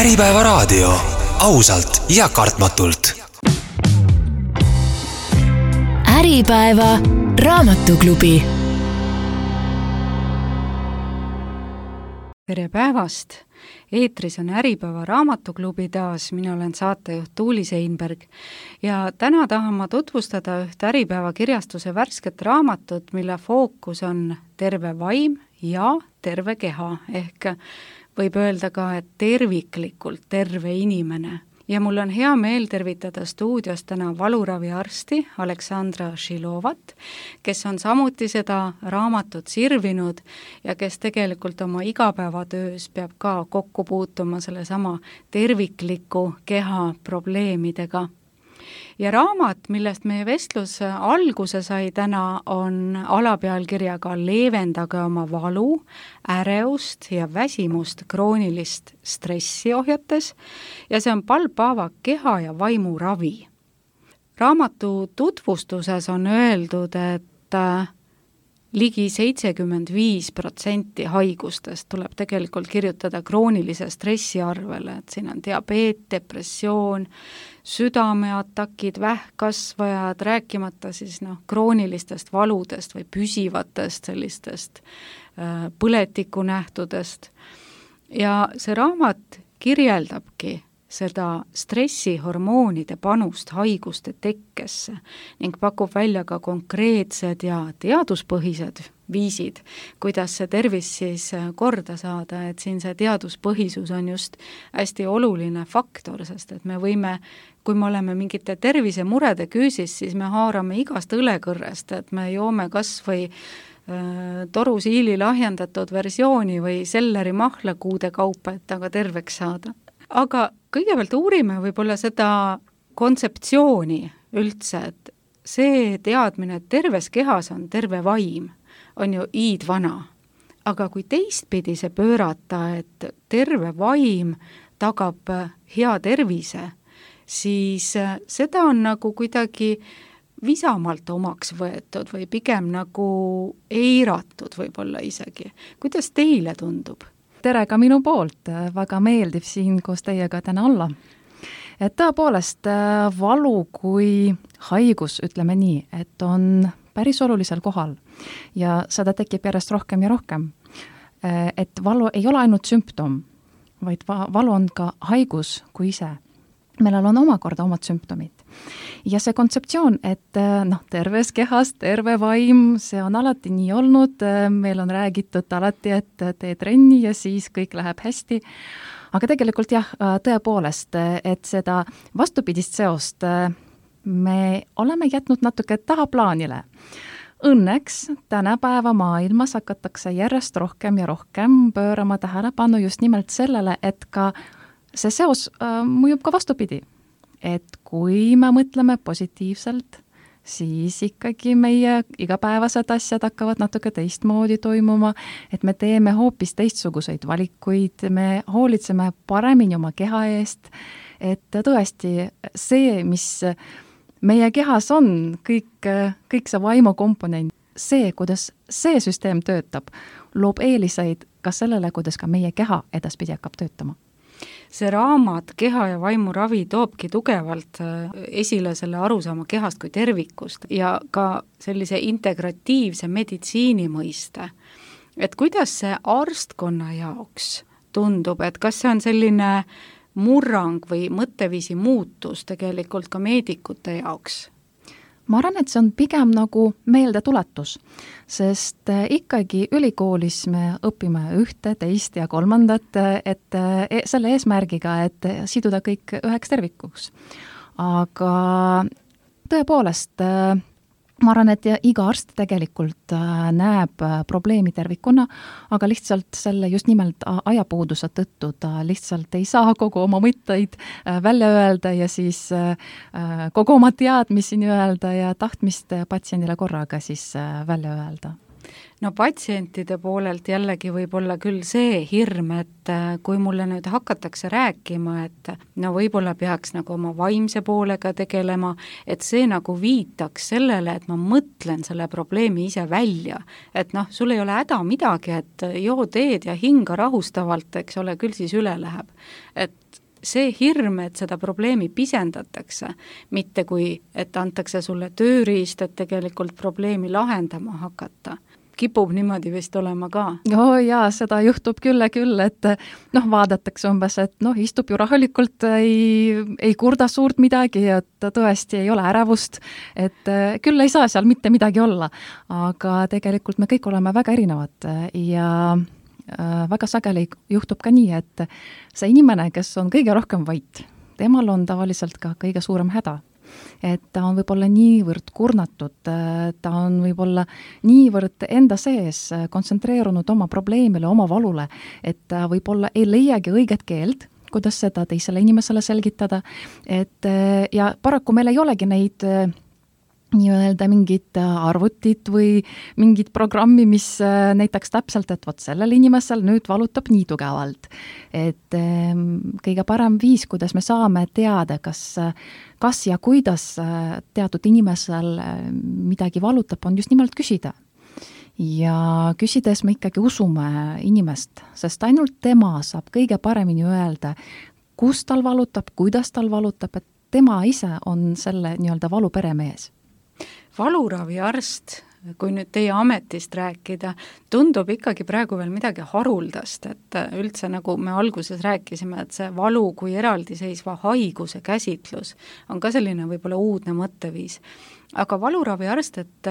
Äripäeva raadio. Ausalt ja kartmatult. Äripäeva raamatuklubi. Tere päevast! Eetris on Äripäeva raamatuklubi taas, mina olen saatejuht Tuuli Seinberg ja täna tahan ma tutvustada üht Äripäeva kirjastuse värsket raamatut, mille fookus on terve vaim ja terve keha, ehk võib öelda ka, et terviklikult terve inimene. Ja mul on hea meel tervitada stuudios täna valuraviarsti Aleksandra Šilovat, kes on samuti seda raamatut sirvinud ja kes tegelikult oma igapäevatöös peab ka kokku puutuma sellesama tervikliku keha probleemidega. Ja raamat, millest meie vestlus alguse sai täna, on alapealkirjaga Leevendage oma valu, ärevust ja väsimust kroonilist stressi ohjates ja see on Paul Pavak keha ja vaimu ravi. Raamatu tutvustuses on öeldud, et ligi 75% haigustest tuleb tegelikult kirjutada kroonilise stressi arvele, et siin on diabeet, depressioon, südameatakid, vähkkasvajad, rääkimata siis kroonilistest valudest või püsivatest sellistest põletikunähtudest. Ja see raamat kirjeldabki seda stressihormoonide panust haiguste tekkesse ning pakub välja ka konkreetsed ja teaduspõhised viisid, kuidas see tervis siis korda saada, et siin see teaduspõhisus on just hästi oluline faktor, sest et me võime, kui me oleme mingite tervisemurede küüsis, siis me haarame igast õlekõrrest, et me joome kas või torusiili lahjendatud versiooni või selleri mahlakuude kaupa, et aga terveks saada. Aga kõigepealt uurime võib-olla seda kontseptsiooni üldse, et see teadmine, et terves kehas on terve vaim, on ju iidvana. Aga kui teistpidi see pöörata, et terve vaim tagab hea tervise, siis seda on nagu kuidagi visamalt omaks võetud või pigem nagu eiratud võib-olla isegi. Kuidas teile tundub? Tere ka minu poolt, väga meeldib siin koos teiega täna olla. Et tõepoolest valu kui haigus, ütleme nii, et on päris olulisel kohal ja seda tekib järjest rohkem ja rohkem. Et valu ei ole ainult sümptom, vaid valu on ka haigus kui ise. Meil on omakorda omad sümptomid. Ja see kontseptsioon, et terves kehas, terve vaim, see on alati nii olnud, meil on räägitud alati, et tee trenni ja siis kõik läheb hästi. Aga tegelikult jah, tõepoolest, et seda vastupidist seost me oleme jätnud natuke tahaplaanile. Õnneks tänapäeva maailmas hakatakse järjest rohkem ja rohkem pöörama tähelepanu just nimelt sellele, et ka see seos mõjub ka vastupidi. Et kui me mõtleme positiivselt, siis ikkagi meie igapäevased asjad hakkavad natuke teistmoodi toimuma, et me teeme hoopis teistsuguseid valikuid, me hoolitseme paremini oma keha eest, et tõesti see, mis meie kehas on, kõik see vaimu komponent, see, kuidas see süsteem töötab, loob eeliseid ka sellele, kuidas ka meie keha edaspidi hakkab töötama. See raamat keha ja vaimu ravi toobki tugevalt esile selle arusaama kehast kui tervikust ja ka sellise integratiivse meditsiini mõiste. Et kuidas see arstkonna jaoks tundub, et kas see on selline murrang või mõtteviisi muutus tegelikult ka meedikute jaoks? Ma arvan, et see on pigem nagu meeldetuletus, sest ikkagi ülikoolis me õpime ühte, teist ja kolmandat, et selle eesmärgiga, et siduda kõik üheks tervikuks. Aga tõepoolest, ma arvan, et iga arst tegelikult näeb probleemi tervikuna, aga lihtsalt selle just nimelt ajapuuduse tõttu ta lihtsalt ei saa kogu oma mõtteid välja öelda ja siis kogu oma teadmisi öelda ja tahtmist patsiendile korraga siis välja öelda. No patsientide poolelt jällegi võib olla küll see hirm, et kui mulle nüüd hakatakse rääkima, et no võib-olla peaks nagu oma vaimse poolega tegelema, et see nagu viitaks sellele, et ma mõtlen selle probleemi ise välja. Et noh, sul ei ole häda midagi, et joo teed ja hinga rahustavalt, eks ole, küll siis üle läheb. Et see hirm, et seda probleemi pisendatakse, mitte kui, et antakse sulle tööriist, et tegelikult probleemi lahendama hakata. Kipub niimoodi vist olema ka. Jaa, seda juhtub küll, et noh, vaadatakse umbes, et noh, istub ju rahulikult, ei kurda suurt midagi, et tõesti ei ole ärevust, et küll ei saa seal mitte midagi olla, aga tegelikult me kõik oleme väga erinevad ja väga sageli juhtub ka nii, et see inimene, kes on kõige rohkem vait, temal on tavaliselt ka kõige suurem häda. Et ta on võib-olla niivõrd kurnatud, ta on võib-olla niivõrd enda sees kontsentreerunud oma probleemile, oma valule, et ta võib-olla ei leiagi õiget keelt, kuidas seda teisele inimesele selgitada, et ja paraku meil ei olegi neid nii-öelda mingid arvutid või mingid programmi, mis näitaks täpselt, et vot sellel inimesel nüüd valutab nii tugevalt. Et kõige parem viis, kuidas me saame teada, kas ja kuidas teatud inimesel midagi valutab, on just nimelt küsida. Ja küsides me ikkagi usume inimest, sest ainult tema saab kõige paremini öelda, kus tal valutab, kuidas tal valutab, et tema ise on selle nii-öelda valu peremees. Valuraviarst, kui nüüd teie ametist rääkida, tundub ikkagi praegu veel midagi haruldast, et üldse nagu me alguses rääkisime, et see valu kui eraldiseisva haiguse käsitlus on ka selline võib-olla uudne mõtteviis. Aga valuraviarst, et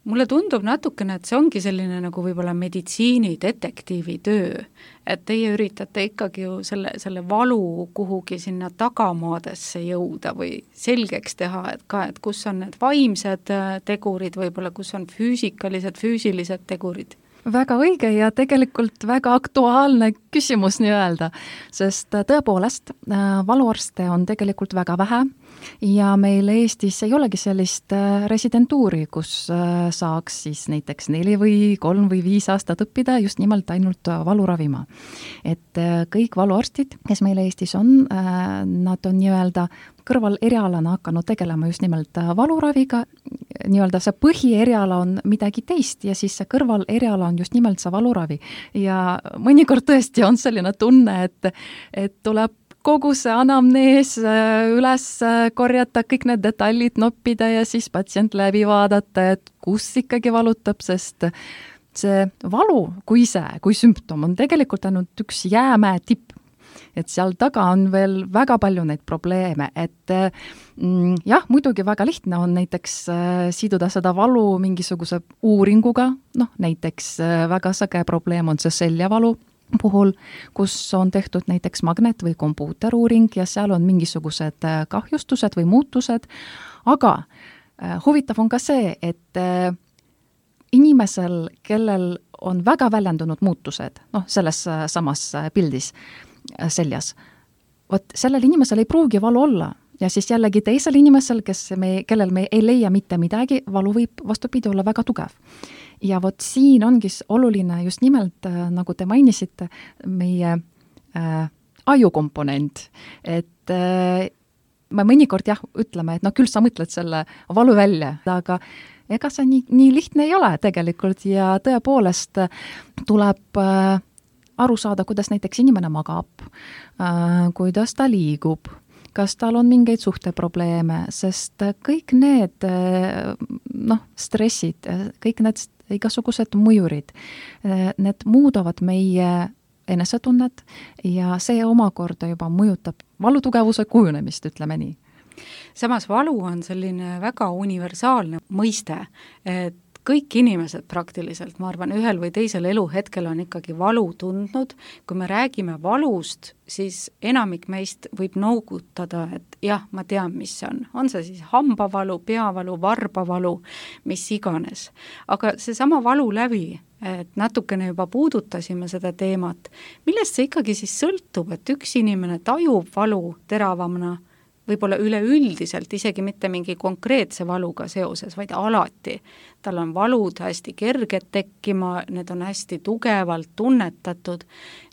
mulle tundub natukene, et see ongi selline nagu võib-olla meditsiinidetektiivi töö, et teie üritate ikkagi ju selle valu kuhugi sinna tagamaadesse jõuda või selgeks teha, et kus on need vaimsed tegurid, võib-olla kus on füüsilised tegurid. Väga õige ja tegelikult väga aktuaalne küsimus nii-öelda, sest tõepoolest valuarste on tegelikult väga vähe ja meil Eestis ei olegi sellist residentuuri, kus saaks siis näiteks 4 või 3 või 5 aastat õppida just nimelt ainult valu ravima. Et kõik valuarstid, kes meil Eestis on, nad on nii-öelda kõrval erialana hakanud tegelema just nimelt valuraviga, nii-öelda see põhieriala on midagi teist ja siis see kõrval eriala on just nimelt see valuravi. Ja mõnikord tõesti on selline tunne, et tuleb kogu see anamnees üles korjata, kõik need detailid noppida ja siis patsient läbi vaadata, et kus ikkagi valutab, sest see valu kui sümptom on tegelikult ainult üks jäämäe tipp. Et seal taga on veel väga palju neid probleeme, et jah, muidugi väga lihtne on näiteks siduda seda valu mingisuguse uuringuga, noh näiteks väga sage probleem on see seljavalu puhul, kus on tehtud näiteks magnet- või kompuuteruuring ja seal on mingisugused kahjustused või muutused, aga huvitav on ka see, et inimesel, kellel on väga väljendunud muutused, noh selles samas pildis, seljas. Vot sellel inimesel ei pruugi valu olla ja siis jällegi teisel inimesel, kellel me ei leia mitte midagi, valu võib vastupidi olla väga tugev. Ja vot siin ongi oluline just nimelt, nagu te mainisite, meie ajukomponent, et me mõnikord jah, ütleme, et no küll sa mõtled selle valu välja, aga ega see nii lihtne ei ole tegelikult ja tõepoolest tuleb aru saada, kuidas näiteks inimene magab, kuidas ta liigub, kas tal on mingeid suhteprobleeme, sest kõik need stressid, kõik need igasugused mõjurid, need muudavad meie enesetunnet ja see omakorda juba mõjutab valutugevuse kujunemist, ütleme nii. Samas valu on selline väga universaalne mõiste, et kõik inimesed praktiliselt, ma arvan, ühel või teisel eluhetkel on ikkagi valu tundnud. Kui me räägime valust, siis enamik meist võib noogutada, et jah, ma tean, mis see on. On see siis hambavalu, peavalu, varbavalu, mis iganes. Aga seesama valu läbi, et natukene juba puudutasime seda teemat, millest see ikkagi siis sõltub, et üks inimene tajub valu teravamana, võib-olla üleüldiselt isegi mitte mingi konkreetse valuga seoses, vaid alati. Tal on valud hästi kerged tekkima, need on hästi tugevalt tunnetatud,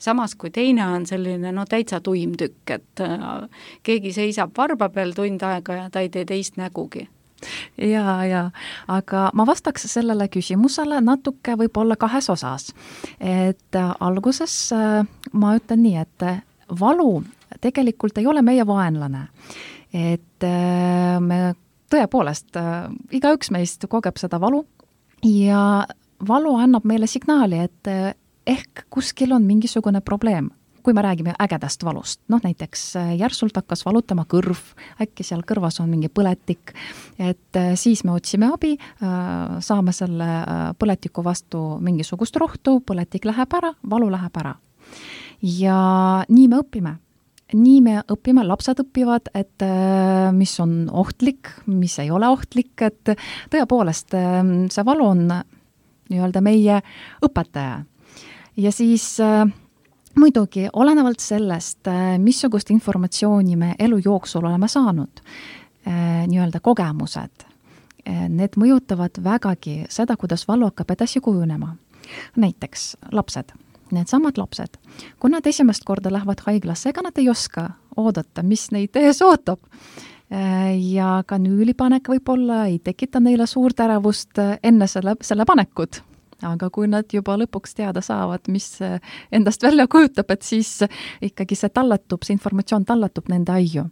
samas kui teine on selline täitsa tuim tükk, et keegi seisab varba peal tund aega ja ta ei tee teist nägugi. Ja, aga ma vastaks sellele küsimusele natuke võib-olla 2 osas. Et alguses ma ütlen nii, et valu tegelikult ei ole meie vaenlane. Et me tõepoolest, igaüks meist kogeb seda valu ja valu annab meile signaali, et ehk kuskil on mingisugune probleem. Kui me räägime ägedast valust, näiteks järsult hakkas valutama kõrv, äkki seal kõrvas on mingi põletik, et siis me otsime abi, saame selle põletiku vastu mingisugust rohtu, põletik läheb ära, valu läheb ära. Ja nii me õpime. Nii me õpime, lapsed õpivad, et mis on ohtlik, mis ei ole ohtlik, et tõepoolest see valu on nii-öelda meie õpetaja. Ja siis muidugi, olenevalt sellest, missugust informatsiooni me elu jooksul oleme saanud, nii-öelda kogemused, need mõjutavad vägagi seda, kuidas valu hakkab edasi kujunema. Näiteks lapsed, needsamad lapsed, kui nad esimest korda lähevad haiglasse, ega nad ei oska oodata, mis neid ees ootab. Ja kanüülipanek võib-olla ei tekita neile suurt ärevust enne selle panekut. Aga kui nad juba lõpuks teada saavad, mis endast välja kujutab, et siis ikkagi see informatsioon tallatub nende aiu.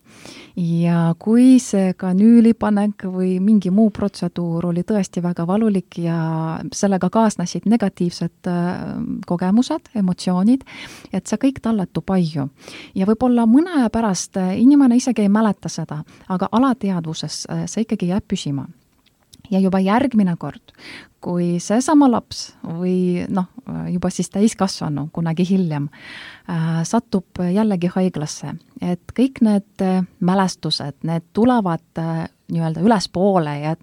Ja kui see kanüülipanek või mingi muu protseduur oli tõesti väga valulik ja sellega kaasnesid negatiivsed kogemused, emotsioonid, et see kõik tallatub aiu. Ja võib-olla mõne aja pärast inimene isegi ei mäleta seda, aga alateadvuses see ikkagi jääb püsima. Ja juba järgmine kord, kui seesama laps või juba siis täiskasvanu kunagi hiljem satub jällegi haiglasse, et kõik need mälestused, need tulevad nii-öelda ülespoole ja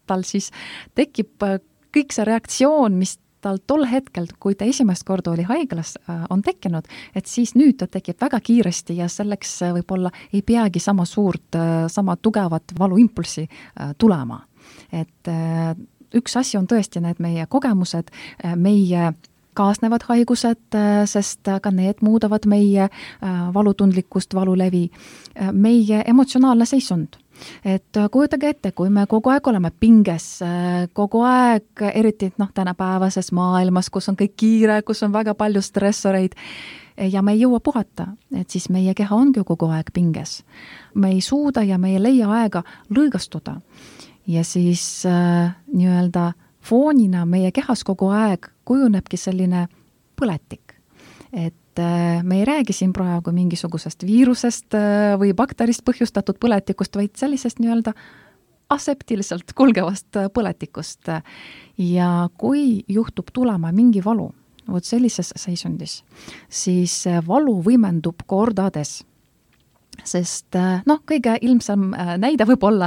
tal siis tekib kõik see reaktsioon, mis tal tol hetkel, kui ta esimest korda oli haiglas, on tekkinud, et siis nüüd ta tekib väga kiiresti ja selleks võib-olla ei peagi sama suurt, sama tugevat valuimpulsi tulema. Et üks asi on tõesti need meie kogemused, meie kaasnevad haigused, sest ka need muudavad meie valutundlikkust, valulevi, meie emotsionaalne seisund. Et kujutage ette, kui me kogu aeg oleme pinges, kogu aeg, eriti tänapäevases maailmas, kus on kõik kiire, kus on väga palju stressoreid ja me ei jõua puhata, et siis meie keha ongi kogu aeg pinges. Me ei suuda ja me ei leia aega lõõgastuda. Ja siis nii-öelda foonina meie kehas kogu aeg kujunebki selline põletik. Et me ei räägi siin praegu mingisugusest viirusest või bakterist põhjustatud põletikust, vaid sellisest nii-öelda aseptiliselt kulgevast põletikust. Ja kui juhtub tulema mingi valu, sellises seisundis, siis valu võimendub kordades. Sest kõige ilmsem näide võib olla,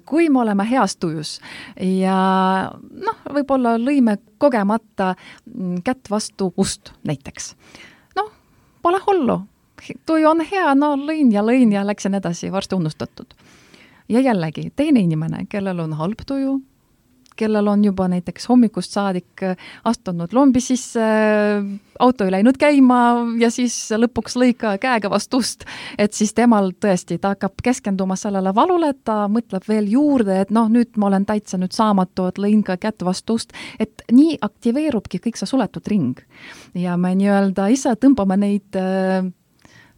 kui me oleme heas tujus ja võib-olla lõime kogemata kätt vastu ust näiteks. Pole hullu, tuju on hea, lõin ja läksin edasi, varsti unustatud. Ja jällegi, teine inimene, kellel on halb tuju, kellel on juba näiteks hommikust saadik astunud lombi sisse, auto ei läinud käima ja siis lõpuks lõika käega vastu ust, et siis temal tõesti, ta hakkab keskenduma sellele valule, ta mõtleb veel juurde, et nüüd ma olen täitsa nüüd saamatu, et lõin ka kätt vastu ust, et nii aktiveerubki kõik see suletud ring. Ja me nii-öelda ise tõmbame neid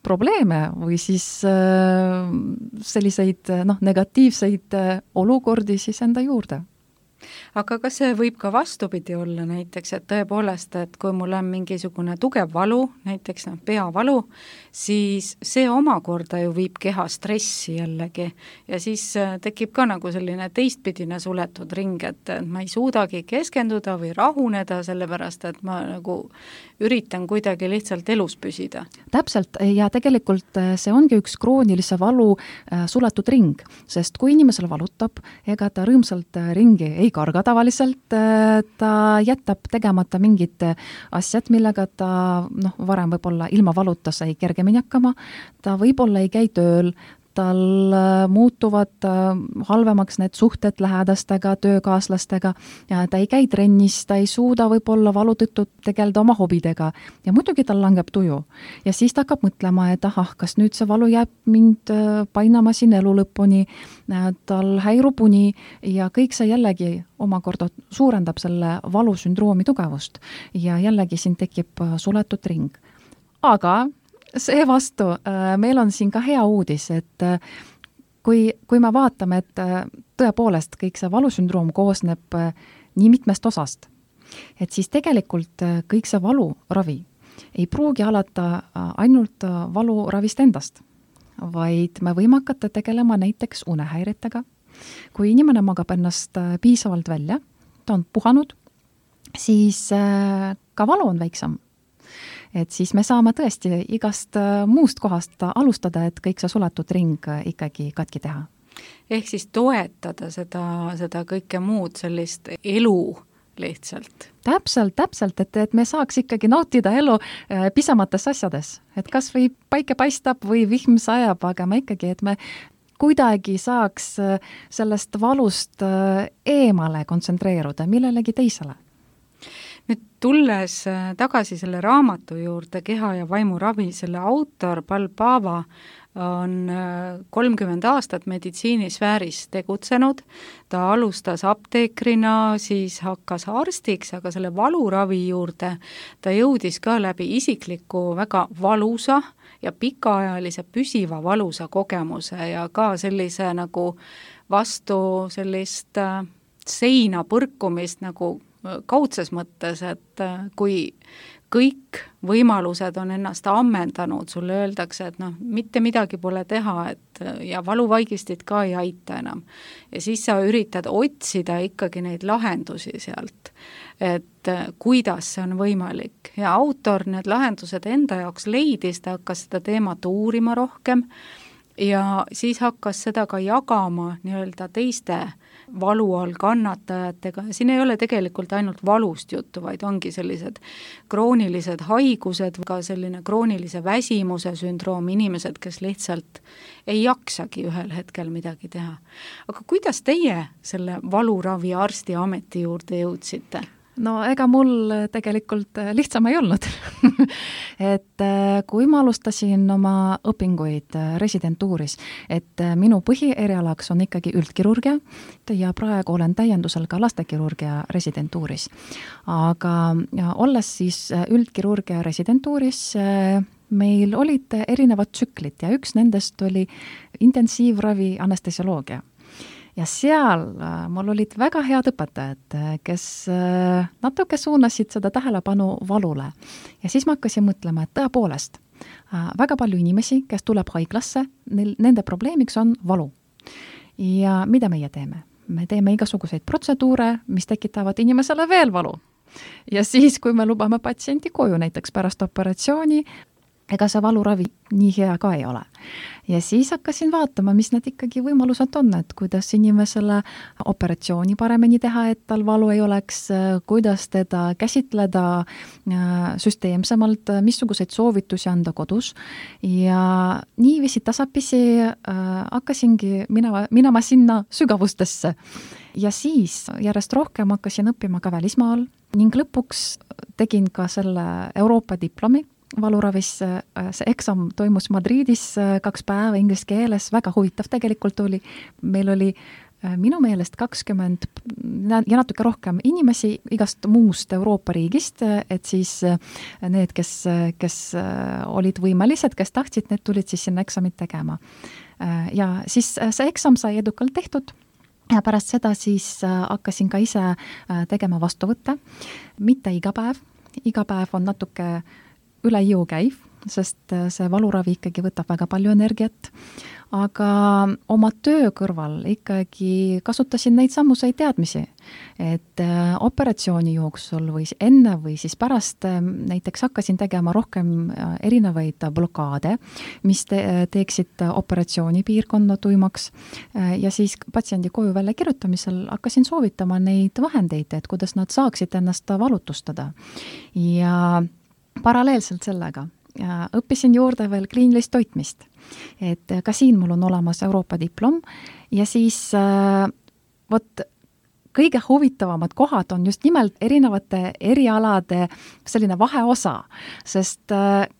probleeme või siis selliseid negatiivseid olukordi siis enda juurde. Aga kas see võib ka vastupidi olla näiteks, et tõepoolest, et kui mul on mingisugune tugev valu, näiteks peavalu, siis see omakorda ju viib keha stressi jällegi ja siis tekib ka nagu selline teistpidine suletud ring, et ma ei suudagi keskenduda või rahuneda, sellepärast et ma nagu üritan kuidagi lihtsalt elus püsida. Täpselt ja tegelikult see ongi üks kroonilise valu suletud ring, sest kui inimesel valutab, ega ta rõõmsalt ringi ei karga tavaliselt, ta jätab tegemata mingid asjad, millega ta varem võib-olla ilma valuta sai kergemini hakkama, ta võib-olla ei käi tööl, tal muutuvad halvemaks need suhted lähedastega, töökaaslastega, ja ta ei käi trennis, ta ei suuda võib-olla valu tõttu tegeleda oma hobidega ja muidugi tal langeb tuju. Ja siis ta hakkab mõtlema, et kas nüüd see valu jääb mind painama siin elu lõpuni, tal häirub uni ja kõik see jällegi omakorda suurendab selle valusündroomi tugevust ja jällegi siin tekib suletud ring. Aga seevastu meil on siin ka hea uudis, et kui me vaatame, et tõepoolest kõik see valusündroom koosneb nii mitmest osast, et siis tegelikult kõik see valuravi ei pruugi alata ainult valuravist endast, vaid me võime hakata tegelema näiteks unehäiretega. Kui inimene magab ennast piisavalt välja, ta on puhanud, siis ka valu on väiksem. Et siis me saame tõesti igast muust kohast alustada, et kõik see suletud ring ikkagi katki teha. Ehk siis toetada seda kõike muud sellist elu lihtsalt. Täpselt, et me saaks ikkagi nautida elu pisemates asjades. Et kas või päike paistab või vihm sajab, aga me ikkagi, et me kuidagi saaks sellest valust eemale kontsentreeruda millelegi teisele. Nüüd tulles tagasi selle raamatu juurde, Keha ja vaimu ravi, selle autor Pal Pava on 30 aastat meditsiinisfääris tegutsenud, ta alustas apteekrina, siis hakkas arstiks, aga selle valuravi juurde ta jõudis ka läbi isikliku väga valusa ja pikaajalise püsiva valusa kogemuse ja ka sellise nagu vastu sellist seina põrkumist nagu kaudses mõttes, et kui kõik võimalused on ennast ammendanud, sulle öeldakse, et mitte midagi pole teha, et ja valuvaigistid ka ei aita enam. Ja siis sa üritad otsida ikkagi neid lahendusi sealt, et kuidas see on võimalik. Ja autor need lahendused enda jaoks leidis, ta hakkas seda teemat uurima rohkem ja siis hakkas seda ka jagama nii-öelda teiste valu all kannatajatega. Siin ei ole tegelikult ainult valust juttu, vaid ongi sellised kroonilised haigused, ka selline kroonilise väsimuse sündroom, inimesed, kes lihtsalt ei jaksagi ühel hetkel midagi teha. Aga kuidas teie selle valuravi arsti ameti juurde jõudsite? No ega mul tegelikult lihtsam ei olnud. Et kui ma alustasin oma õpinguid residentuuris, et minu põhierialaks on ikkagi üldkirurgia ja praegu olen täiendusel ka lastekirurgia residentuuris. Aga olles siis üldkirurgia residentuuris, meil olid erinevad tsüklid ja üks nendest oli intensiivravi anestesioloogia. Ja seal mul olid väga head õpetajad, kes natuke suunasid seda tähelepanu valule. Ja siis ma hakkasin mõtlema, et tõepoolest väga palju inimesi, kes tuleb haiglasse, nende probleemiks on valu. Ja mida meie teeme? Me teeme igasuguseid protseduure, mis tekitavad inimesele veel valu. Ja siis, kui me lubame patsiendi koju näiteks pärast operatsiooni, ega see valuravi nii hea ka ei ole. Ja siis hakkasin vaatama, mis need ikkagi võimalused on, et kuidas inimesele operatsiooni paremini teha, et tal valu ei oleks, kuidas teda käsitleda süsteemsemalt, missuguseid soovitusi anda kodus. Ja niiviisi tasapisi hakkasingi minema sinna sügavustesse. Ja siis järjest rohkem hakkasin õppima ka välismaal ning lõpuks tegin ka selle Euroopa diplomi valuravis. See eksam toimus Madridis 2 päeva inglise keeles, väga huvitav tegelikult oli. Meil oli minu meelest 20 ja natuke rohkem inimesi igast muust Euroopa riigist, et siis need, kes olid võimelised, kes tahtsid, need tulid siis sinna eksamit tegema. Ja siis see eksam sai edukalt tehtud. Ja pärast seda siis hakkasin ka ise tegema vastuvõtte. Mitte iga päev on natuke üle jõu käiv, sest see valuravi ikkagi võtab väga palju energiat, aga oma töö kõrval ikkagi kasutasin neid sammuseid teadmisi, et operatsiooni jooksul või enne või siis pärast näiteks hakkasin tegema rohkem erinevaid blokaade, mis teeksid operatsiooni piirkonna tuimaks ja siis patsiendi koju välja kirjutamisel hakkasin soovitama neid vahendeid, et kuidas nad saaksid ennast valutustada ja paralleelselt sellega õppisin juurde veel kliinilist toitmist. Et ka siin mul on olemas Euroopa diplom ja siis kõige huvitavamad kohad on just nimelt erinevate erialade selline vaheosa, sest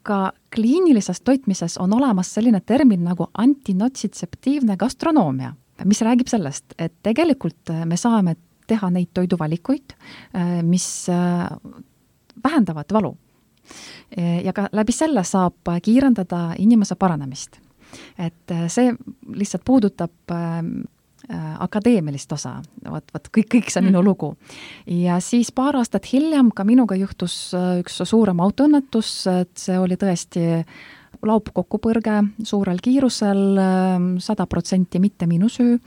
ka kliinilises toitmises on olemas selline termin nagu antinotsidtseptiivne gastronoomia, mis räägib sellest, et tegelikult me saame teha neid toiduvalikuid, mis vähendavad valu. Ja ka läbi selle saab kiirendada inimese paranemist. Et see lihtsalt puudutab akadeemilist osa, kõik see minu lugu. Ja siis paar aastat hiljem ka minuga juhtus üks suurem autoõnnetus, et see oli tõesti laupkokkupõrge suurel kiirusel, 100% mitte minu süü,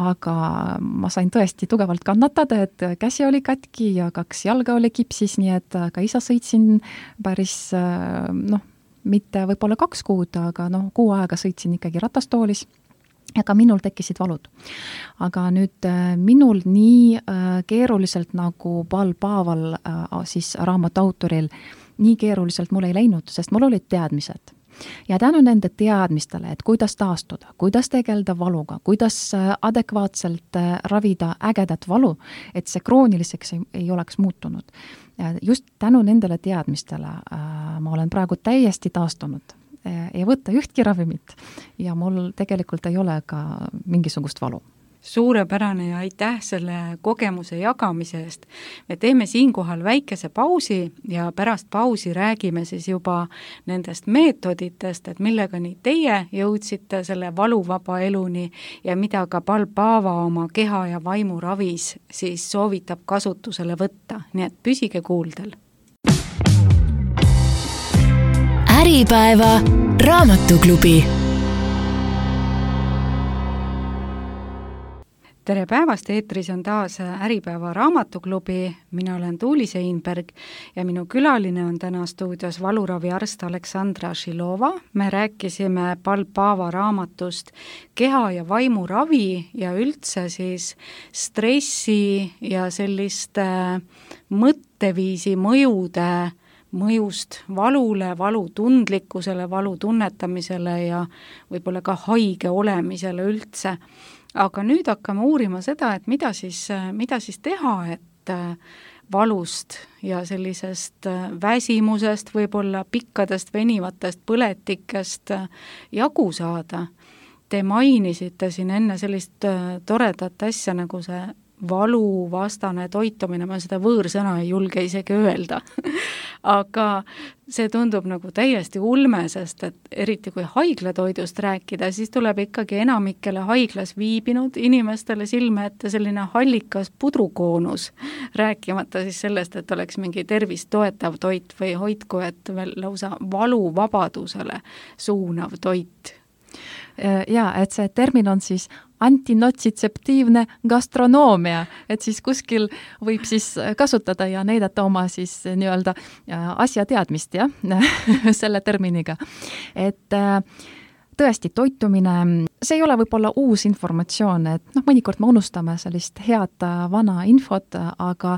aga ma sain tõesti tugevalt kannatada, et käsi oli katki ja 2 jalga oli kipsis, nii et ka ise sõitsin päris, mitte võib-olla 2 kuud, aga 6 aega sõitsin ikkagi ratastoolis. Ja ka minul tekkisid valud. Aga nüüd minul nii keeruliselt nagu Paul Paaval, siis raamatu autoril, nii keeruliselt mul ei läinud, sest mul olid teadmised. Ja tänu nende teadmistele, et kuidas taastuda, kuidas tegeleda valuga, kuidas adekvaatselt ravida ägedat valu, et see krooniliseks ei oleks muutunud. Just tänu nendele teadmistele ma olen praegu täiesti taastunud. Ei võtta ühtki ravimit ja mul tegelikult ei ole ka mingisugust valu. Suurepärane ja aitäh selle kogemuse jagamise eest. Me teeme siinkohal väikese pausi ja pärast pausi räägime siis juba nendest meetoditest, et millega nii teie jõudsite selle valuvaba eluni ja mida ka Paul Paava oma keha ja vaimu ravis siis soovitab kasutusele võtta. Nii et püsige kuuldel. Äripäeva raamatuklubi. Tere päevast, eetris on taas Äripäeva raamatuklubi, mina olen Tuuli Seinberg ja minu külaline on täna stuudios valuraviarst Aleksandra Šilova. Me rääkisime Paul Paava raamatust keha ja vaimu ravi ja üldse siis stressi ja selliste mõtteviisi mõjust valule, valutundlikkusele, valu tunnetamisele ja võib-olla ka haige olemisele üldse. Aga nüüd hakkame uurima seda, et mida siis teha, et valust ja sellisest väsimusest, võib-olla pikkadest venivatest põletikest jagu saada. Te mainisite siin enne sellist toredat asja nagu see valuvastane toitumine, ma seda võõrsõna ei julge isegi öelda. Aga see tundub nagu täiesti ulme, sest et eriti kui haiglatoidust rääkida, siis tuleb ikkagi enamikele haiglas viibinud inimestele silme ette selline hallikas pudrukoonus, rääkimata siis sellest, et oleks mingi tervist toetav toit või hoidku, et veel lausa valuvabadusele suunav toit. Ja, et see termin on siis antinotsidtseptiivne gastronoomia, et siis kuskil võib siis kasutada ja näidata oma siis nii-öelda asjateadmist, jah, selle terminiga. Et tõesti, toitumine, see ei ole võib-olla uus informatsioon, et mõnikord me unustame sellist head vana infot, aga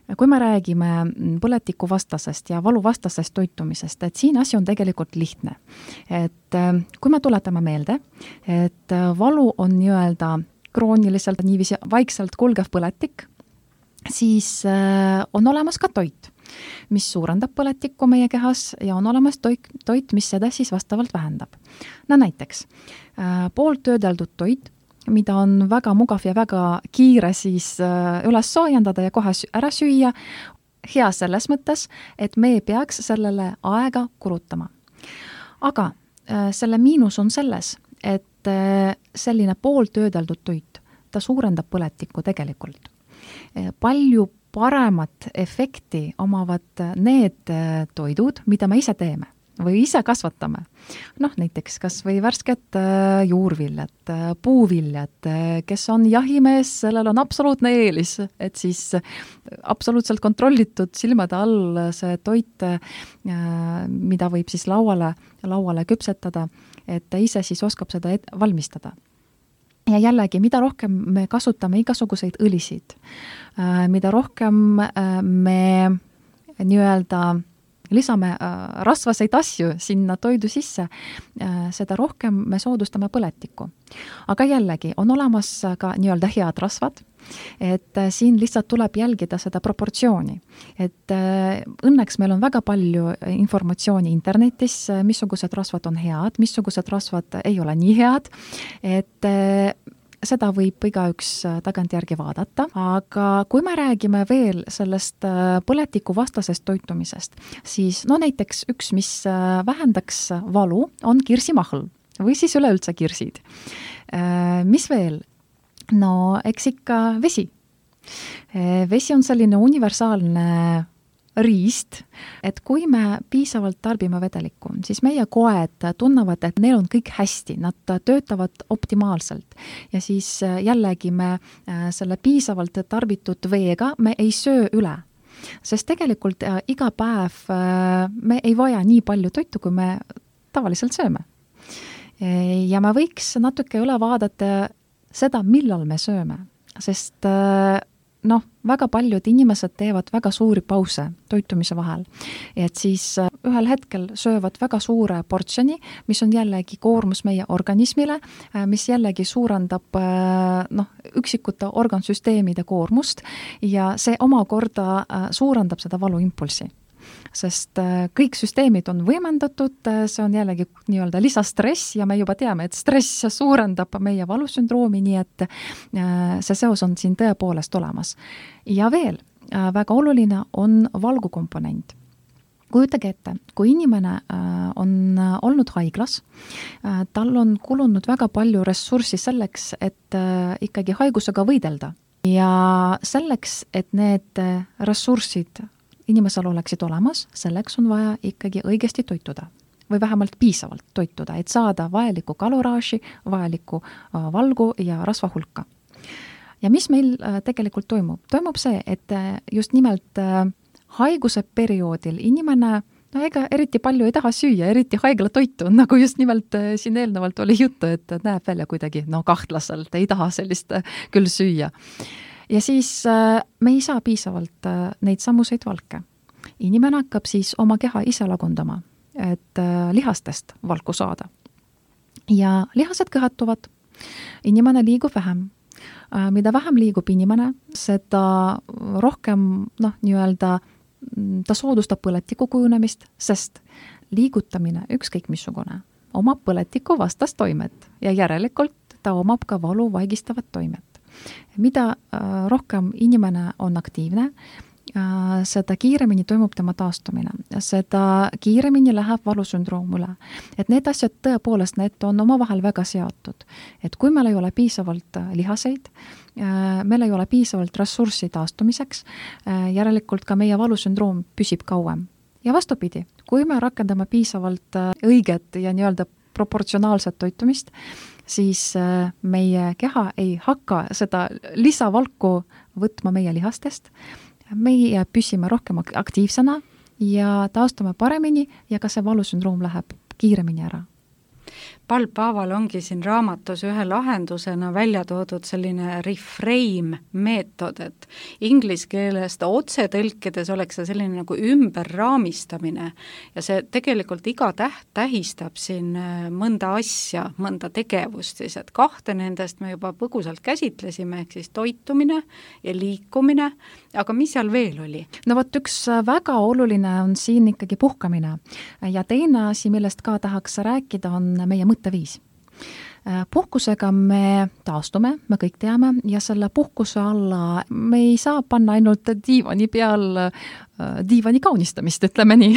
kui me räägime põletikuvastasest ja valuvastasest toitumisest, et siin asi on tegelikult lihtne. Et kui me tuletame meelde, et valu on nii-öelda krooniliselt niiviisi vaikselt kulgev põletik, siis on olemas ka toit, mis suurendab põletikku meie kehas ja on olemas toit, mis seda siis vastavalt vähendab. Näiteks pooltöödeldud toit, mida on väga mugav ja väga kiire siis üles soojendada ja kohe ära süüa, hea selles mõttes, et me ei peaks sellele aega kulutama. Aga selle miinus on selles, et selline pooltöödeldud toit, ta suurendab põletikku tegelikult. Palju paremat efekti omavad need toidud, mida me ise teeme või ise kasvatame. Näiteks kas või värsked juurviljad, puuviljad, kes on jahimees, sellel on absoluutne eelis, et siis absoluutselt kontrollitud silmade all see toit, mida võib siis lauale küpsetada, et ta ise siis oskab seda valmistada. Ja jällegi, mida rohkem me kasutame igasuguseid õlisid, mida rohkem me nii-öelda lisame rasvaseid asju sinna toidu sisse, seda rohkem me soodustame põletikku. Aga jällegi, on olemas ka nii-öelda head rasvad, et siin lihtsalt tuleb jälgida seda proportsiooni. Et õnneks meil on väga palju informatsiooni internetis, missugused rasvad on head, missugused rasvad ei ole nii head, et seda võib igaüks tagantjärgi vaadata, aga kui me räägime veel sellest põletiku vastasest toitumisest, siis no näiteks üks, mis vähendaks valu, on kirsimahl või siis üleüldse kirsid. Mis veel? No eks ikka vesi. Vesi on selline universaalne riist, et kui me piisavalt tarbime vedelikku, siis meie koed tunnevad, et neil on kõik hästi, nad töötavad optimaalselt. Ja siis jällegi me selle piisavalt tarbitud veega me ei söö üle. Sest tegelikult iga päev me ei vaja nii palju toitu, kui me tavaliselt sööme. Ja me võiks natuke üle vaadata seda, millal me sööme. Sest väga paljud inimesed teevad väga suuri pause toitumise vahel. Et siis ühel hetkel söövad väga suure portsjoni, mis on jällegi koormus meie organismile, mis jällegi suurendab üksikute organsüsteemide koormust ja see omakorda suurendab seda valuimpulsi. Sest kõik süsteemid on võimendatud, see on jällegi nii-öelda lisastress ja me juba teame, et stress suurendab meie valusündroomi, nii et see seos on siin tõepoolest olemas. Ja veel, väga oluline on valgukomponent. Kujutage ette, kui inimene on olnud haiglas, tal on kulunud väga palju ressurssi selleks, et ikkagi haigusega võidelda. Ja selleks, et need ressursid inimesel oleksid olemas, selleks on vaja ikkagi õigesti toituda või vähemalt piisavalt toituda, et saada vajalikku kaloraaži, vajalikku valgu ja rasva hulka. Ja mis meil tegelikult toimub? Toimub see, et just nimelt haiguse perioodil inimene ega eriti palju ei taha süüa, eriti haigla toitu, nagu just nimelt siin eelnevalt oli juttu, et näeb välja kuidagi kahtlaselt, ei taha sellist küll süüa. Ja siis me ei saa piisavalt neid sammuseid valke. Inimene hakkab siis oma keha ise lagundama, et lihastest valku saada. Ja lihased kõhatuvad, inimene liigub vähem. Mida vähem liigub inimene, seda rohkem ta soodustab põletiku kujunemist, sest liigutamine ükskõik missugune omab põletiku vastast toimet ja järelikult ta omab ka valu vaigistavat toimet. Mida rohkem inimene on aktiivne, seda kiiremini toimub tema taastumine, seda kiiremini läheb valusündroom üle. Et need asjad tõepoolest, need on omavahel väga seotud. Et kui meil ei ole piisavalt lihaseid, meil ei ole piisavalt ressurssi taastumiseks, järelikult ka meie valusündroom püsib kauem. Ja vastupidi, kui me rakendame piisavalt õiget ja nii-öelda proportsionaalset toitumist, siis meie keha ei hakka seda lisavalku võtma meie lihastest. Meie püsime rohkem aktiivsena ja taastume paremini ja ka see valusündroom läheb kiiremini ära. Paul Paaval ongi siin raamatus ühe lahendusena välja toodud selline reframe meetod, et inglise keelest otse tõlkides oleks see selline nagu ümberraamistamine ja see tegelikult iga täht tähistab siin mõnda asja, mõnda tegevust siis, et kahte nendest me juba põgusalt käsitlesime, ehk siis toitumine ja liikumine, aga mis seal veel oli? No võt, üks väga oluline on siin ikkagi puhkamine ja teine asi, millest ka tahaks rääkida, on meie mõtteviis. Puhkusega me taastume, me kõik teame, ja selle puhkuse alla me ei saa panna ainult diivani peal diivani kaunistamist, ütleme nii.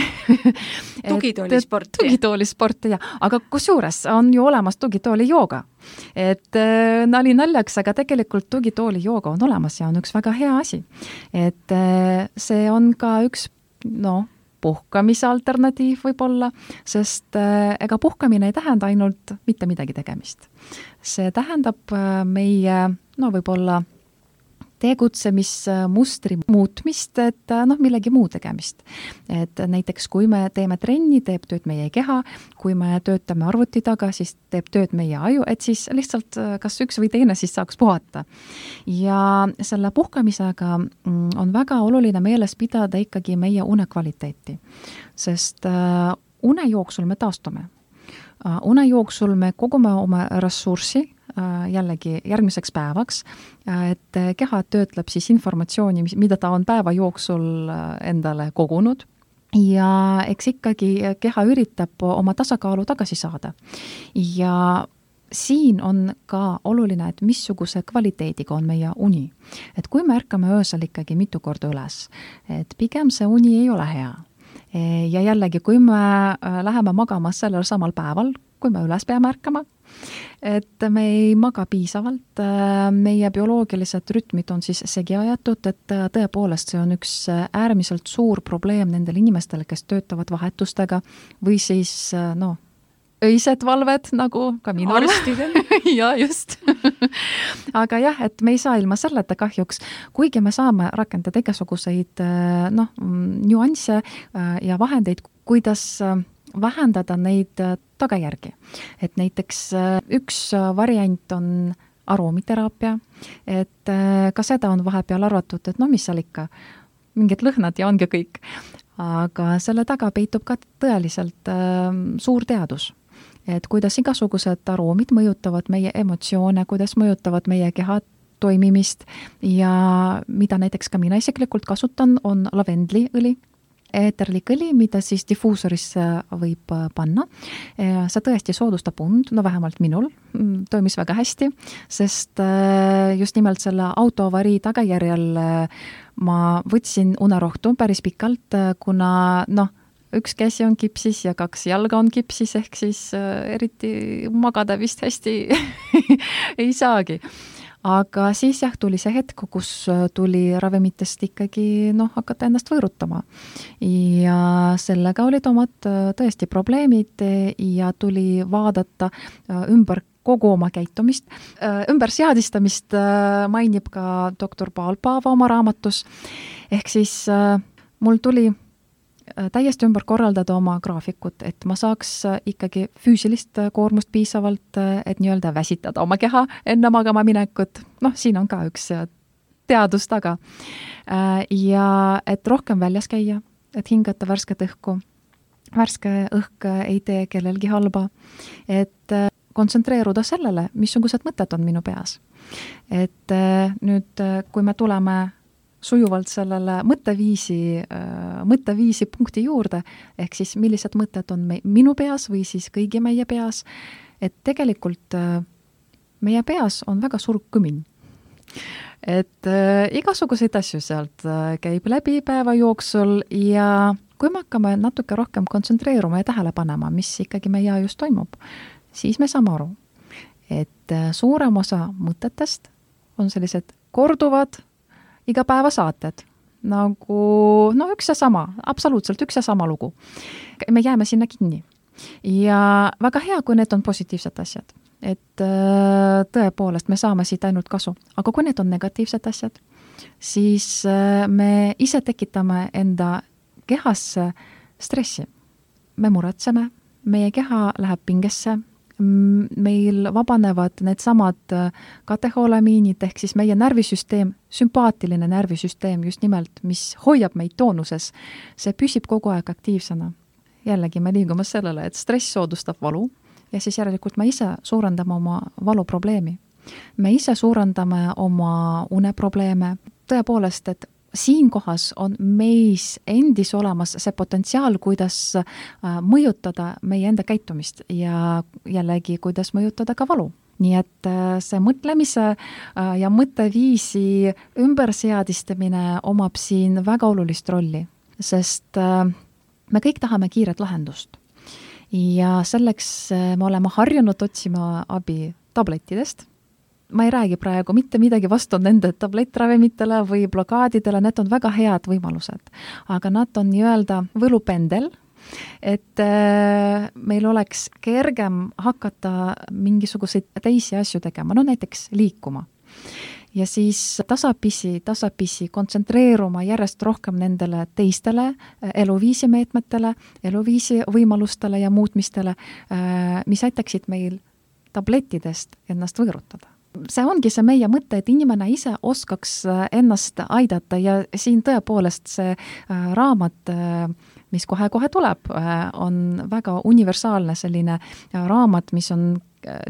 Tugitoolisporti, jah. Aga kusjuures on ju olemas tugitooli jooga. Et nali naljaks, aga tegelikult tugitooli jooga on olemas ja on üks väga hea asi. Et see on ka üks, puhkamise alternatiiv võib-olla, sest ega puhkamine ei tähenda ainult mitte midagi tegemist. See tähendab meie, võib-olla tegutsemismustri muutmist, et millegi muu tegemist. Et näiteks kui me teeme trenni, teeb tööd meie keha, kui me töötame arvuti taga, siis teeb tööd meie aju, et siis lihtsalt kas üks või teine siis saaks puhata. Ja selle puhkamisega on väga oluline meeles pidada ikkagi meie unekvaliteeti, sest une jooksul me taastume. Une jooksul me kogume oma ressurssi jällegi järgmiseks päevaks, et keha töötleb siis informatsiooni, mida ta on päeva jooksul endale kogunud ja eks ikkagi keha üritab oma tasakaalu tagasi saada. Ja siin on ka oluline, et missuguse kvaliteediga on meie uni. Et kui me ärkame öösel ikkagi mitu korda üles, et pigem see uni ei ole hea. Ja jällegi, kui me läheme magama sellel samal päeval, kui me üles peame ärkama, et me ei maga piisavalt, meie bioloogilised rütmid on siis segi ajatud, et tõepoolest see on üks äärmiselt suur probleem nendel inimestel, kes töötavad vahetustega või siis öised valved, nagu ka minul. Arstidel. Ja just. Aga jah, et me ei saa ilma selleta kahjuks, kuigi me saame rakendada igasuguseid nüansse ja vahendeid, kuidas vähendada neid tagajärgi. Et näiteks üks variant on aromiteraapia, et ka seda on vahepeal arvatud, et mis seal ikka, mingid lõhnad ja ongi kõik. Aga selle taga peitub ka tõeliselt suur teadus. Et kuidas igasugused aroomid mõjutavad meie emotsioone, kuidas mõjutavad meie keha toimimist ja mida näiteks ka mina isiklikult kasutan, on lavendliõli, eeterlik õli, mida siis diffuusorisse võib panna. See tõesti soodustab und, vähemalt minul toimis väga hästi, sest just nimelt selle autoavarii tagajärjel ma võtsin unerohtu päris pikalt, kuna üks käsi on kipsis ja 2 jalga on kipsis, ehk siis eriti magada vist hästi ei saagi. Aga siis tuli see hetk, kus tuli ravimitest ikkagi hakata ennast võõrutama. Ja sellega olid omad tõesti probleemid ja tuli vaadata ümber kogu oma käitumist. Ümberseadistamist mainib ka doktor Paul Paava oma raamatus. Ehk siis mul tuli täiesti ümber korraldada oma graafikut, et ma saaks ikkagi füüsilist koormust piisavalt, et nii-öelda väsitada oma keha enne magama minekut. Siin on ka üks teadus taga. Ja et rohkem väljas käia, et hingata värsket õhku. Värske õhk ei tee kellelgi halba. Et kontsentreeruda sellele, missugused mõtted on minu peas. Et nüüd, kui me tuleme sujuvalt sellele mõtteviisi punkti juurde, ehk siis millised mõtted on minu peas või siis kõigi meie peas, et tegelikult meie peas on väga suur kõmin. Et igasuguseid asju sealt käib läbi päeva jooksul ja kui me hakkame natuke rohkem kontsentreeruma ja tähele panema, mis ikkagi meie ajus toimub, siis me saame aru, et suurem osa mõtetest on sellised korduvad igapäevasaated, nagu üks ja sama, absoluutselt üks ja sama lugu. Me jääme sinna kinni. Ja väga hea, kui need on positiivsed asjad. Et tõepoolest me saame siit ainult kasu. Aga kui need on negatiivsed asjad, siis me ise tekitame enda kehasse stressi. Me muretseme, meie keha läheb pingesse, meil vabanevad need samad kateholamiinid, ehk siis meie närvisüsteem, sümpaatiline närvisüsteem just nimelt, mis hoiab meid toonuses, see püsib kogu aeg aktiivsena. Jällegi me liigume sellele, et stress soodustab valu ja siis järelikult me ise suurendame oma valuprobleemi. Me ise suurendame oma uneprobleeme. Tõepoolest, et siinkohas on meis endis olemas see potentsiaal, kuidas mõjutada meie enda käitumist ja jällegi, kuidas mõjutada ka valu. Nii et see mõtlemise ja mõtteviisi ümberseadistamine omab siin väga olulist rolli, sest me kõik tahame kiiret lahendust. Ja selleks me oleme harjunud otsima abi tablettidest. Ma ei räägi praegu mitte midagi vastu nende tablettiravimitele või blokaadidele, need on väga head võimalused. Aga nad on nii-öelda võlupendel, et meil oleks kergem hakata mingisuguseid teisi asju tegema, näiteks liikuma. ja siis tasapisi kontsentreeruma järjest rohkem nendele teistele eluviisi meetmetele, eluviisi võimalustele ja muutmistele, mis aitaksid meil tablettidest ennast võõrutada. See ongi see meie mõte, et inimene ise oskaks ennast aidata ja siin tõepoolest see raamat, mis kohe-kohe tuleb, on väga universaalne selline raamat, mis on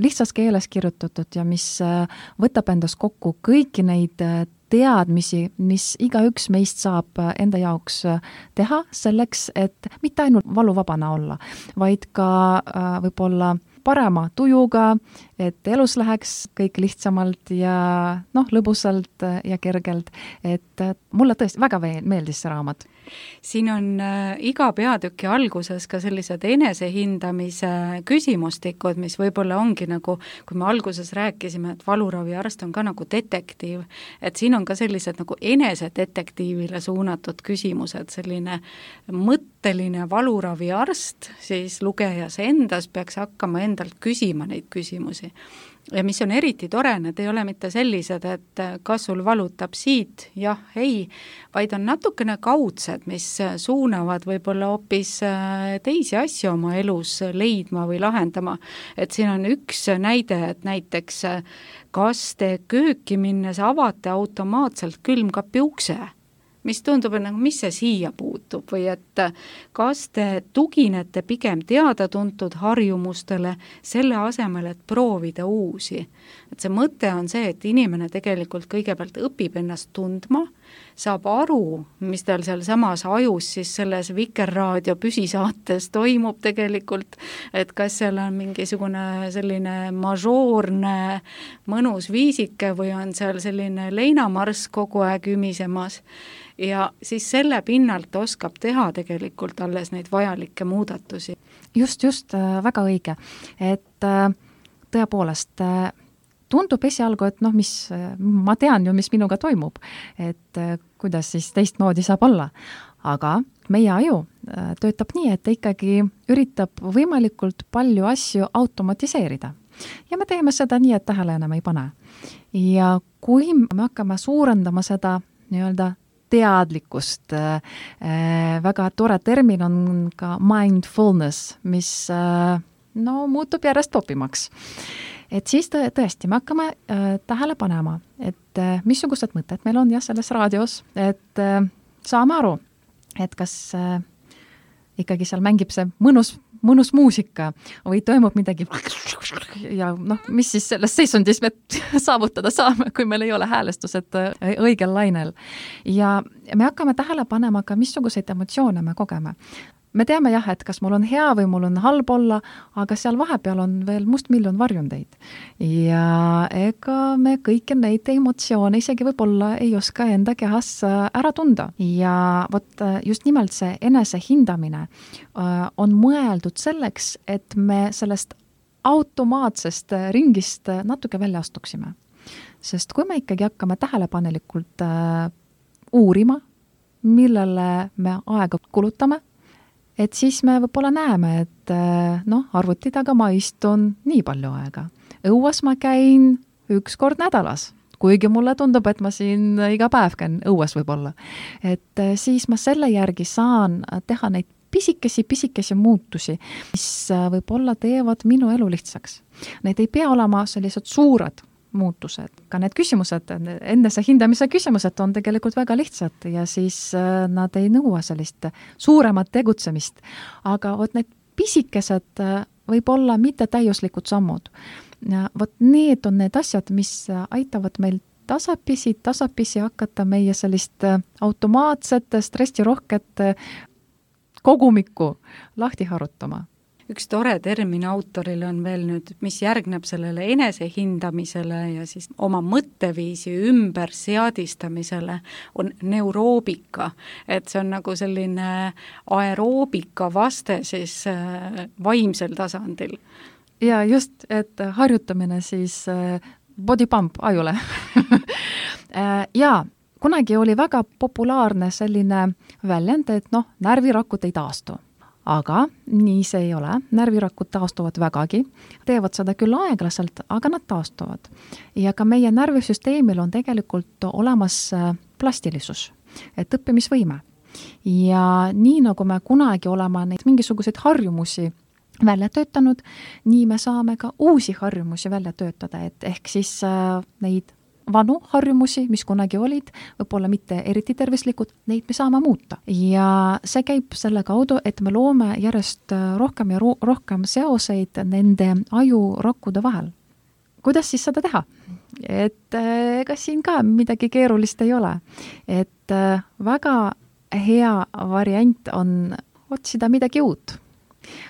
lihtsas keeles kirjutatud ja mis võtab endas kokku kõiki neid teadmisi, mis igaüks meist saab enda jaoks teha selleks, et mitte ainult valuvabana olla, vaid ka võib-olla parema tujuga, et elus läheks kõik lihtsamalt ja lõbusalt ja kergelt, et mulle tõesti väga meeldis see raamat. Siin on iga peatüki alguses ka sellised enesehindamise küsimustikud, mis võib-olla ongi nagu, kui me alguses rääkisime, et valuraviarst on ka nagu detektiiv, et siin on ka sellised nagu enesedetektiivile suunatud küsimused, selline mõtteline valuraviarst, siis lugejas endas peaks hakkama endalt küsima neid küsimusi. Ja mis on eriti tore, need ei ole mitte sellised, et kas sul valutab siit, jah, ei, vaid on natukene kaudsed, mis suunavad võib-olla hoopis teisi asju oma elus leidma või lahendama. Et siin on üks näide, et näiteks kas te kööki minnes avate automaatselt külmkapi ukse, mis tundub, et mis see siia puutub või et kas te tuginete pigem teada-tuntud harjumustele selle asemel, et proovida uusi. Et see mõte on see, et inimene tegelikult kõigepealt õpib ennast tundma, saab aru, mis tal seal samas ajus siis selles Vikerraadio püsisaates toimub tegelikult, et kas seal on mingisugune selline mažoorne mõnus viisike või on seal selline leinamarss kogu aeg ümisemas. Ja siis selle pinnalt oskab teha tegelikult alles neid vajalikke muudatusi. Just, väga õige. Et tõepoolest tundub esialgu, et ma tean ju, mis minuga toimub, et kuidas siis teistmoodi saab olla. Aga meie aju töötab nii, et ta ikkagi üritab võimalikult palju asju automatiseerida. Ja me teeme seda nii, et tähele enam ei pane. Ja kui me hakkame suurendama seda nii-öelda teadlikkust, väga tore termin on ka mindfulness, mis muutub järjest popimaks. Et siis tõesti me hakkame tähele panema, et missugused mõtted meil on selles raadios, et saame aru, et kas ikkagi seal mängib see mõnus muusika või toimub midagi ja mis siis selles seisundis me saavutada saame, kui meil ei ole häälestused õigel lainel. Ja me hakkame tähele panema ka, missuguseid emotsioone me kogeme. Me teame jah, et kas mul on hea või mul on halb olla, aga seal vahepeal on veel mustmiljon varjundeid. Ja ega me kõiki neid emotsioone isegi võib-olla ei oska enda kehas ära tunda. Ja vot just nimelt see enesehindamine on mõeldud selleks, et me sellest automaatsest ringist natuke välja astuksime. Sest kui me ikkagi hakkame tähelepanelikult uurima, millele me aega kulutame, et siis me võib-olla näeme, et arvuti taga ma istun nii palju aega. Õues ma käin 1 kord nädalas, kuigi mulle tundub, et ma siin iga päev käin õues võib-olla. Et siis ma selle järgi saan teha neid pisikesi muutusi, mis võib-olla teevad minu elu lihtsaks. Need ei pea olema sellised suured muutused. Ka need küsimused, endase hindamise küsimused on tegelikult väga lihtsad ja siis nad ei nõua sellist suuremat tegutsemist. Aga vot need pisikesed võib-olla mitte täiuslikud sammud. Vot need on need asjad, mis aitavad meil tasapisi hakata meie sellist automaatset, stressirohket kogumikku lahti harutama. Üks tore termin autorile on veel nüüd, mis järgneb sellele enesehindamisele ja siis oma mõtteviisi ümber seadistamisele, on neuroobika. Et see on nagu selline aeroobika vaste siis vaimsel tasandil. Ja just, et harjutamine siis body pump ajule. Ja kunagi oli väga populaarne selline väljend, et närvirakud ei taastu. aga nii see ei ole, närvirakud taastuvad vägagi, teevad seda küll aeglaselt, aga nad taastuvad. Ja ka meie närvisüsteemil on tegelikult olemas plastilisus, et õppimisvõime. Ja nii nagu me kunagi oleme neid mingisuguseid harjumusi välja töötanud, nii me saame ka uusi harjumusi välja töötada, et ehk siis neid vanu harjumusi, mis kunagi olid, võib-olla mitte eriti tervislikud, neid me saame muuta. Ja see käib selle kaudu, et me loome järjest rohkem ja rohkem seoseid nende ajurakkude vahel. Kuidas siis seda teha? Et ega siin ka midagi keerulist ei ole. Et väga hea variant on otsida midagi uut.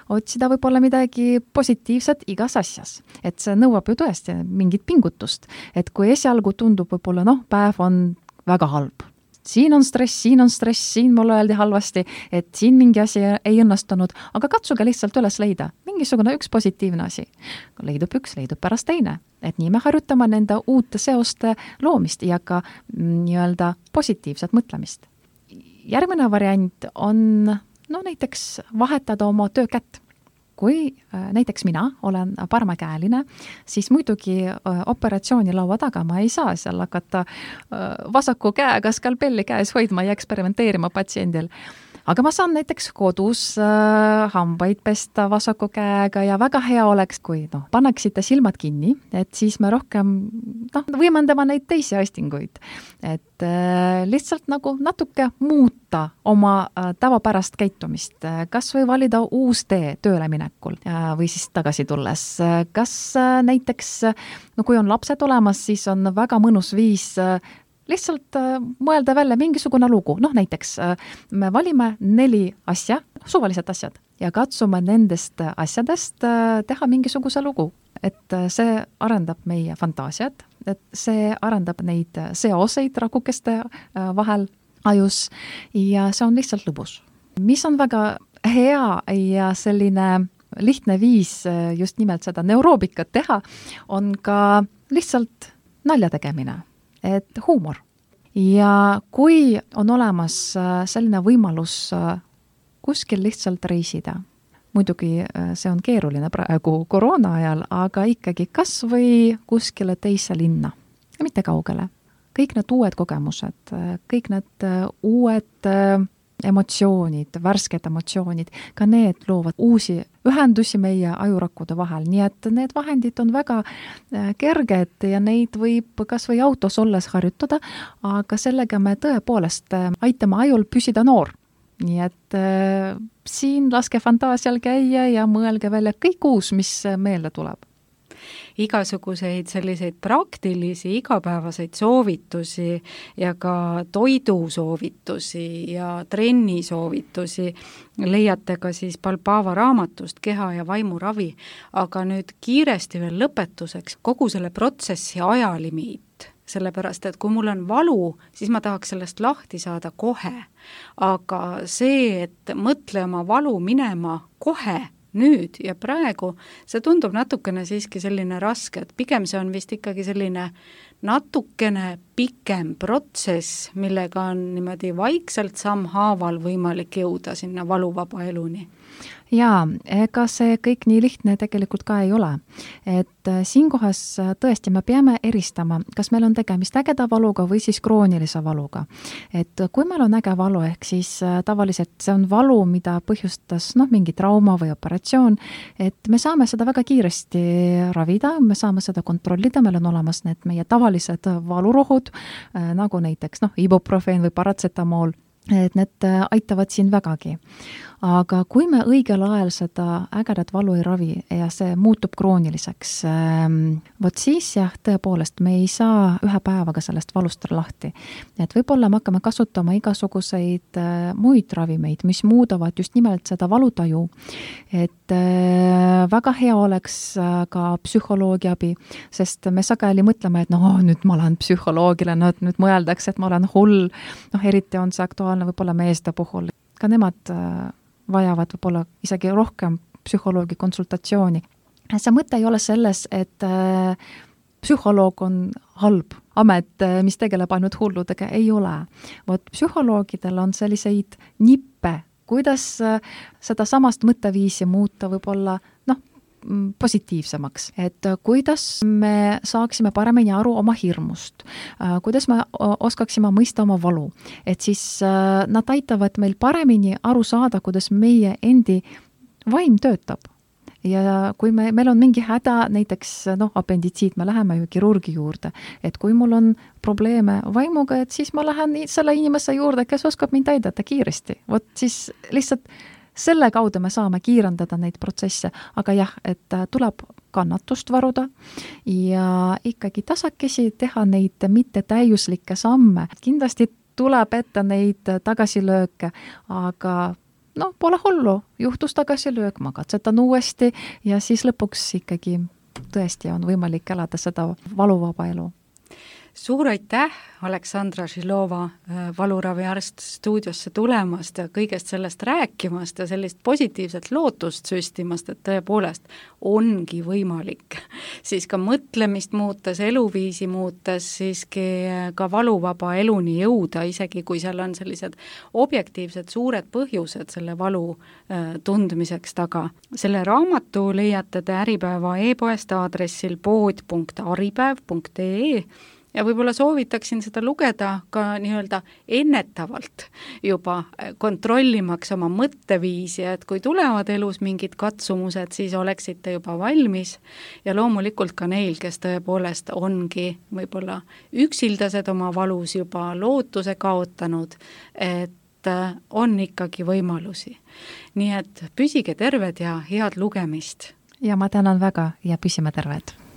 Otsida võib-olla midagi positiivset igas asjas. Et see nõuab ju tõesti mingit pingutust. Et kui esialgu tundub võib-olla, päev on väga halb. Siin on stress, siin mulle öeldi halvasti, et siin mingi asi ei õnnestunud, aga katsuge lihtsalt üles leida. Mingisugune üks positiivne asi. Leidub üks, leidub pärast teine. Et nii me harjutame nende uute seoste loomist ja ka nii-öelda positiivset mõtlemist. Järgmine variant on näiteks vahetada oma töökätt. Kui näiteks mina olen paremakäeline, siis muidugi operatsiooni laua taga ma ei saa seal hakata vasaku käega skalpelli käes hoidma ja eksperimenteerima patsiendil. Aga ma saan näiteks kodus hambaid pesta vasaku käega ja väga hea oleks, kui paneksite silmad kinni, et siis me rohkem võimendame neid teisi aistinguid. Et lihtsalt nagu natuke muuta oma tavapärast käitumist, kas või valida uus tee tööle minekul või siis tagasi tulles. Kas näiteks, kui on lapsed olemas, siis on väga mõnus viis lihtsalt mõelda välja mingisugune lugu. Näiteks me valime 4 asja, suvalised asjad, ja katsume nendest asjadest teha mingisuguse lugu. Et see arendab meie fantaasiat, et see arendab neid seoseid rakukeste vahel ajus ja see on lihtsalt lõbus. Mis on väga hea ja selline lihtne viis just nimelt seda neuroobikat teha, on ka lihtsalt nalja tegemine. Et huumor. Ja kui on olemas selline võimalus kuskil lihtsalt reisida, muidugi see on keeruline praegu koroona ajal, aga ikkagi kas või kuskile teise linna, mitte kaugele. Kõik need uued kogemused, kõik need uued emotsioonid, värsked emotsioonid, ka need loovad uusi ühendusi meie ajurakkude vahel, nii et need vahendid on väga kerged ja neid võib kas või autos olles harjutada, aga sellega me tõepoolest aitame ajul püsida noor. Nii et siin laske fantaasial käia ja mõelge välja kõik uus, mis meelde tuleb. Igasuguseid selliseid praktilisi igapäevaseid soovitusi ja ka toidusoovitusi ja trennisoovitusi leiate ka siis Balbava raamatust Keha ja vaimuravi, aga nüüd kiiresti veel lõpetuseks kogu selle protsessi ajalimiit, sellepärast et kui mul on valu, siis ma tahaks sellest lahti saada kohe, aga see, et mõtle oma valu minema kohe, nüüd ja praegu, see tundub natukene siiski selline raske, et pigem see on vist ikkagi selline natukene pikem protsess, millega on niimoodi vaikselt sammhaaval võimalik jõuda sinna valuvaba eluni. Jaa, ega see kõik nii lihtne tegelikult ka ei ole. Et siinkohas tõesti me peame eristama, kas meil on tegemist ägeda valuga või siis kroonilise valuga. Et kui meil on äge valu, ehk siis tavaliselt see on valu, mida põhjustas mingi trauma või operatsioon, et me saame seda väga kiiresti ravida, me saame seda kontrollida, meil on olemas need meie tavalised valurohud, nagu näiteks ibuprofeen või paratsetamool, et need aitavad siin vägagi. Aga kui me õigel ajal seda ägedat valu ei ravi ja see muutub krooniliseks, vot siis jah, tõepoolest me ei saa ühe päevaga sellest valust lahti. Et võib-olla me hakkame kasutama igasuguseid muid ravimeid, mis muudavad just nimelt seda valutaju. Et väga hea oleks ka psühholoogi abi, sest me sageli mõtleme, et nüüd ma olen psühholoogile, nüüd mõeldakse, et ma olen hull, eriti on see aktuaalne võib-olla meeste puhul. Ka nemad vajavad võib-olla isegi rohkem psühholoogi konsultatsiooni. See mõte ei ole selles, et psühholoog on halb amet, mis tegeleb ainult hulludega, ei ole. Vot psühholoogidel on selliseid nippe, kuidas seda samast mõtteviisi muuta võib-olla positiivsemaks, et kuidas me saaksime paremini aru oma hirmust, kuidas me oskaksime mõista oma valu, et siis nad aitavad meil paremini aru saada, kuidas meie endi vaim töötab. Ja kui meil on mingi häda, näiteks apenditsiit, me läheme ju kirurgi juurde, et kui mul on probleeme vaimuga, et siis ma lähen selle inimese juurde, kes oskab mind aidata kiiresti. Vot siis lihtsalt selle kaudu me saame kiirendada neid protsesse, aga jah, et tuleb kannatust varuda ja ikkagi tasakesi teha neid mitte täiuslikke samme. Kindlasti tuleb ette neid tagasilööke, aga pole hullu, juhtus tagasilöök, ma katsetan uuesti ja siis lõpuks ikkagi tõesti on võimalik elada seda valuvaba elu. Suur aitäh, Aleksandra Žilova, valuraviarst stuudiosse tulemast ja kõigest sellest rääkimast ja sellist positiivset lootust süstimast, et tõepoolest ongi võimalik siis ka mõtlemist muutes, eluviisi muutes, siiski ka valuvaba eluni jõuda, isegi kui seal on sellised objektiivsed suured põhjused selle valu tundmiseks taga. Selle raamatu leiate te Äripäeva e-poest aadressil pood.aripäev.ee ja võib-olla soovitaksin seda lugeda ka nii-öelda ennetavalt juba kontrollimaks oma mõtteviisi, et kui tulevad elus mingid katsumused, siis oleksite juba valmis ja loomulikult ka neil, kes tõepoolest ongi võib-olla üksildased oma valus juba lootuse kaotanud, et on ikkagi võimalusi. Nii et püsige terved ja head lugemist! Ja ma tänan väga ja püsime terved!